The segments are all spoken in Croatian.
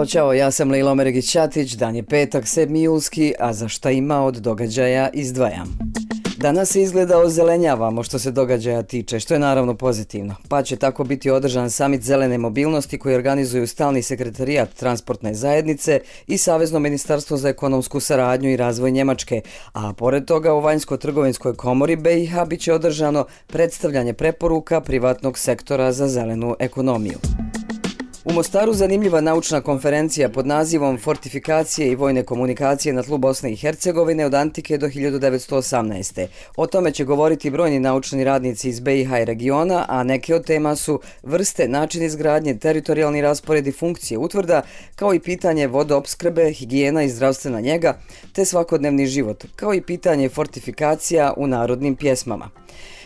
Ćao, ja sam Lejla Omeregić-Ćatić, dan je petak, 7. julski, a za šta ima od događaja izdvajam. Danas se izgleda ozelenjavamo što se događaja tiče, što je naravno pozitivno, pa će tako biti održan samit zelene mobilnosti koji organizuju Stalni sekretarijat transportne zajednice i Savezno ministarstvo za ekonomsku saradnju i razvoj Njemačke, a pored toga u Vanjsko-trgovinskoj komori BiH bit će održano predstavljanje preporuka privatnog sektora za zelenu ekonomiju. U Mostaru zanimljiva naučna konferencija pod nazivom Fortifikacije i vojne komunikacije na tlu Bosne i Hercegovine od antike do 1918. O tome će govoriti brojni naučni radnici iz BiH i regiona, a neke od tema su vrste, način izgradnje, teritorijalni raspored i funkcije utvrda, kao i pitanje vodoopskrbe, higijena i zdravstvena njega, te svakodnevni život, kao i pitanje fortifikacija u narodnim pjesmama.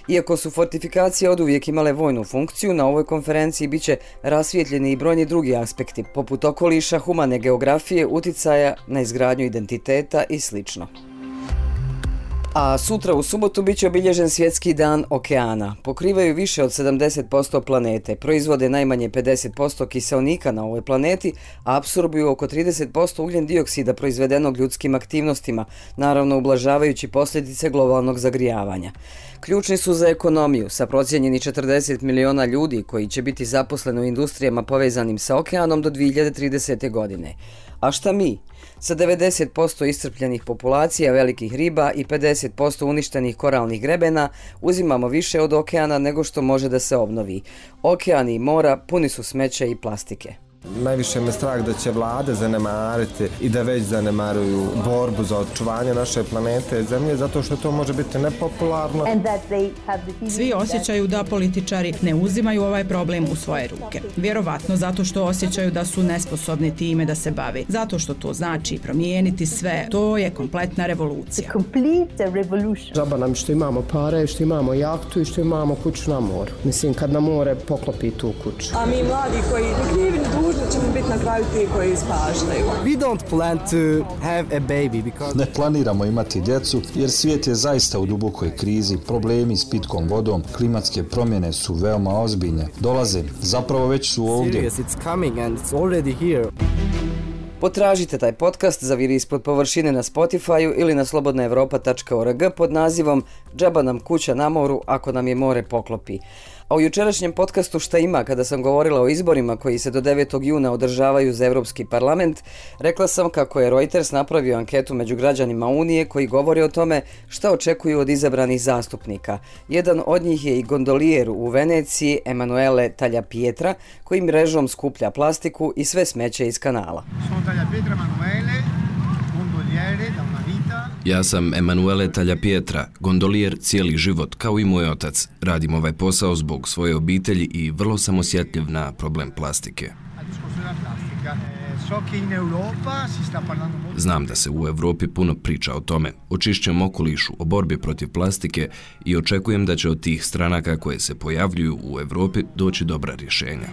Iako su fortifikacije oduvijek imale vojnu funkciju, na ovoj konferenciji bit će rasvijetljeni i brojni drugi aspekti, poput okoliša, humane geografije, uticaja na izgradnju identiteta i sl. A sutra u subotu bit će obilježen Svjetski dan okeana. Pokrivaju više od 70% planete, proizvode najmanje 50% kiseonika na ovoj planeti, a apsorbuju oko 30% ugljen dioksida proizvedenog ljudskim aktivnostima, naravno ublažavajući posljedice globalnog zagrijavanja. Ključni su za ekonomiju, sa procijenjeni 40 miliona ljudi koji će biti zaposleni u industrijama povezanim sa okeanom do 2030. godine. A šta mi? Sa 90% iscrpljenih populacija velikih riba i 50% uništenih koralnih grebena uzimamo više od okeana nego što može da se obnovi. Okeani i mora puni su smeća i plastike. Najviše me strah da će vlade zanemariti i da već zanemaruju borbu za očuvanje naše planete Zemlje, zato što to može biti nepopularno. Svi osjećaju da političari ne uzimaju ovaj problem u svoje ruke. Vjerovatno zato što osjećaju da su nesposobni time da se bave. Zato što to znači promijeniti sve. To je kompletna revolucija. Džaba nam što imamo pare, što imamo jahtu i što imamo kuću na moru. Mislim, kad na more poklopi tu kuću. A mi mladi koji ne krivi da ćemo biti na kraju ti koji ispaštaju. We don't plan to have a baby because... Ne planiramo imati djecu jer svijet je zaista u dubokoj krizi, problemi s pitkom vodom, klimatske promjene su veoma ozbiljne. Dolaze, zapravo već su ovdje. It's coming and it's already here. Potražite taj podcast Zaviri ispod površine na Spotify-u ili na slobodnaevropa.org pod nazivom Džaba nam kuća na moru ako nam je more poklopi. A u jučerašnjem podcastu Šta ima, kada sam govorila o izborima koji se do 9. juna održavaju za Europski parlament, rekla sam kako je Reuters napravio anketu među građanima Unije koji govore o tome šta očekuju od izabranih zastupnika. Jedan od njih je i gondolijer u Veneciji, Emanuele Tagliapietra, koji mrežom skuplja plastiku i sve smeće iz kanala. Ja sam Emanuele Tagliapietra, gondolijer cijeli život, kao i moj otac. Radim ovaj posao zbog svoje obitelji i vrlo sam osjetljiv na problem plastike. Znam da se u Europi puno priča o tome, o čišćem okolišu, o borbi protiv plastike i očekujem da će od tih stranaka koje se pojavljuju u Europi doći dobra rješenja.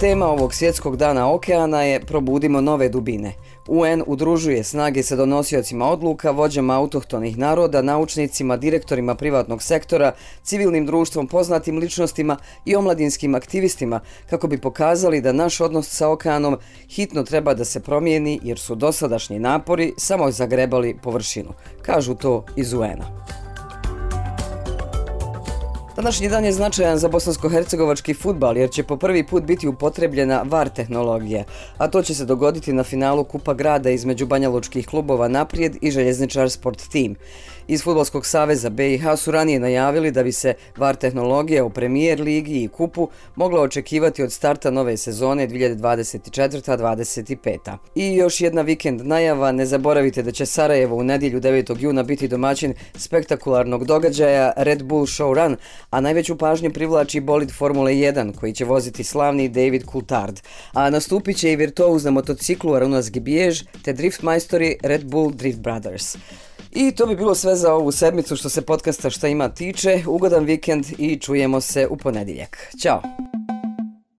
Tema ovog svjetskog dana okeana je Probudimo nove dubine. UN udružuje snage sa donosiocima odluka, vođama autohtonih naroda, naučnicima, direktorima privatnog sektora, civilnim društvom, poznatim ličnostima i omladinskim aktivistima kako bi pokazali da naš odnos sa okeanom hitno treba da se promijeni jer su dosadašnji napori samo zagrebali površinu. Kažu to iz UN-a. Današnji dan je značajan za bosansko-hercegovački fudbal jer će po prvi put biti upotrebljena VAR tehnologija, a to će se dogoditi na finalu Kupa grada između banjalučkih klubova Naprijed i Željezničar Sport Team. Iz Fudbalskog saveza BiH su ranije najavili da bi se VAR tehnologija u Premier ligi i Kupu mogla očekivati od starta nove sezone 2024-25. I još jedna vikend najava, ne zaboravite da će Sarajevo u nedjelju 9. juna biti domaćin spektakularnog događaja Red Bull Show Run, a najveću pažnju privlači bolid Formule 1 koji će voziti slavni David Coulthard. A nastupit će i virtuoz na motociklu Arunas Gibiež te drift majstori Red Bull Drift Brothers. I to bi bilo sve za ovu sedmicu što se podcasta Šta ima tiče. Ugodan vikend i čujemo se u ponedjeljak. Ćao!